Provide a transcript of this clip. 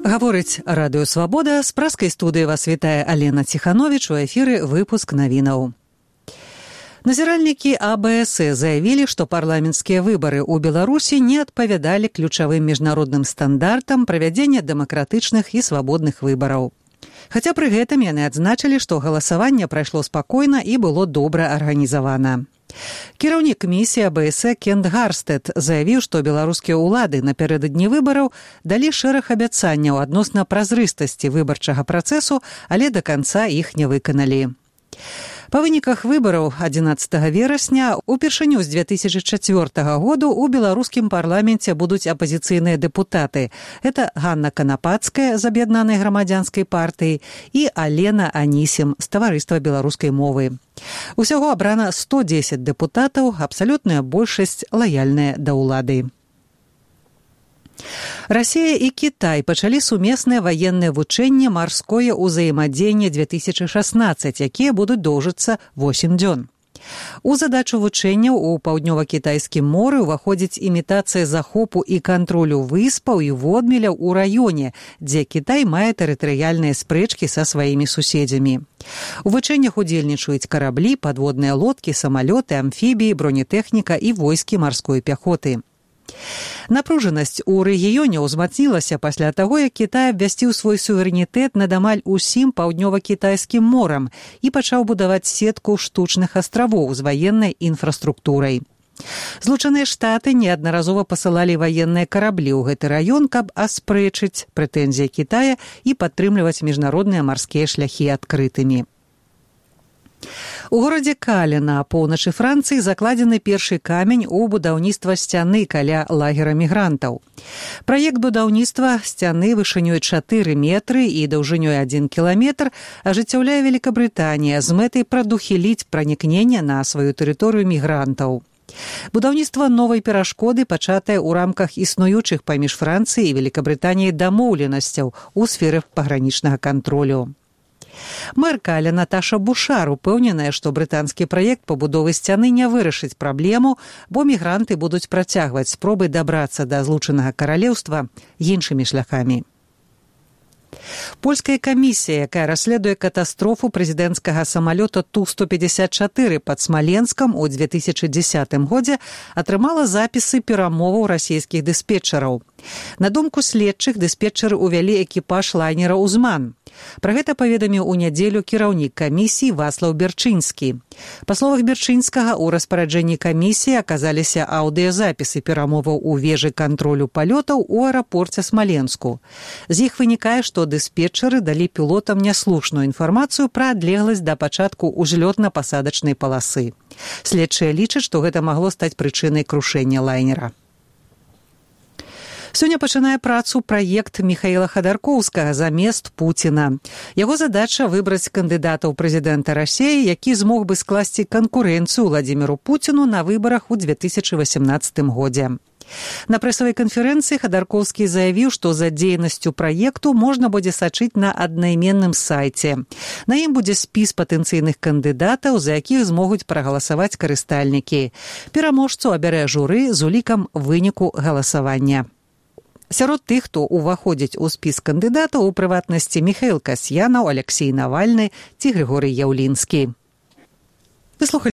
Гаворыць Радыё Свабода. З праскай студыі вас вітае Алена Ціхановіч. У эфіры выпуск навінаў. Назіральнікі АБС заявілі, што парламенцкія выбары ў Беларусі не адпавядалі ключавым міжнародным стандартам правядзення дэмакратычных і свабодных выбараў. Хаця пры гэтым яны адзначылі, што галасаванне прайшло спакойна і было добра арганізавана. Кіраўнік місіі АБС Кент Гарстэд заявіў, што беларускія ўлады напярэдадні выбараў далі шэраг абяцанняў адносна празрыстасці выбарчага працэсу, але да канца іх не выканалі. Па выніках выбараў 11 верасня упершыню з 2004 году ў беларускім парламенце будуць апазіцыйныя дэпутаты. Это Ганна Канапацкая з Аб'яднанай грамадзянскай партыі і Алена Анісім з Таварыства беларускай мовы. Усяго абрана 110 дэпутатаў, абсалютная большасць лаяльная да ўлады. Расія і Кітай пачалі сумеснае ваеннае вучэнне «Марское ўзаемадзеянне 2016», якія будуць доўжыцца 8 дзён. У задачу вучэнняў у паўднёва-кітайскім моры ўваходзіць імітацыя захопу і кантролю выспаў і водмеляў у раёне, дзе Кітай мае тэрытарыяльныя спрэчкі са сваімі суседзямі. У вучэннях удзельнічаюць караблі, падводныя лодкі, самалёты, амфібіі, бронетэхніка і войскі марской пяхоты. Напружанасць у рэгіёне ўзмацнілася пасля таго, як Кітай абвясціў свой суверэнітэт над амаль усім паўднёва-кітайскім морам і пачаў будаваць сетку штучных астравоў з ваеннай інфраструктурай. Злучаныя Штаты неаднаразова пасылалі ваенныя караблі ў гэты раён, каб аспрэчыць прэтэнзіі Кітая і падтрымліваць міжнародныя марскія шляхі адкрытымі. У горадзе Кале на поўначы Францыі закладзены першы камень у будаўніцтва сцяны каля лагера мігрантаў. Праект будаўніцтва сцяны вышынёй 4 метры і даўжынёй 1 кіламетр ажыццяўляе Великабрытанія з мэтай прадухіліць пранікненне на сваю тэрыторыю мігрантаў. Будаўніцтва новай перашкоды пачатае ў рамках існуючых паміж Францыяй і Великабрытаніяй дамоўленасцяў у сферы пагранічнага кантролю. Мэр Каля Наташа Бушар упэўненая, што брытанскі праект пабудовы сцяны не вырашыць праблему, бо мігранты будуць працягваць спробы дабрацца да злучанага каралеўства іншымі шляхамі. Польская камісія, якая расследуе катастрофу прэзідэнцкага самалёта Ту-154 пад Смаленскам у 2010 годзе, атрымала запісы перамоваў расійскіх дыспетчараў. На думку следчых, дыспетчары ўвялі экіпаж лайнера «Узман». Пра гэта паведаміў у нядзелю кіраўнік камісіі Васлаў Берчынскі. Па словах Берчынскага, у распараджэнні камісіі аказаліся аўдыёзапісы перамоваў у вежы кантролю палётаў у аэрапорце Смаленску. З іх вынікае, што дыспетчары далі пілотам няслушную інфармацыю пра адлегласць да пачатку узлётна-пасадачнай паласы. Следчыя лічаць, што гэта магло стаць прычынай крушэння лайнера. Сёння пачынае працу праект Міхаіла Хадаркоўскага «Замест Пуціна». Яго задача выбраць кандыдата ў прэзідэнта Расіі, які змог бы скласці канкурэнцыю Владзіміру Пуціну на выбарах у 2018 годзе. На прэсавай канферэнцыі Хадаркоўскі заявіў, што за дзейнасцю праекту можна будзе сачыць на аднайменным сайце. На ім будзе спіс патэнцыйных кандыдатаў, за якіх змогуць прагаласаваць карыстальнікі. Пераможцу абярэ журы з улікам выніку галасавання. Сярод тых, хто ўваходзіць у спіс кандыдатаў, у прыватнасці Міхаіл Касьянаў, Алексей Навальны ці Григорый Яўлінскі.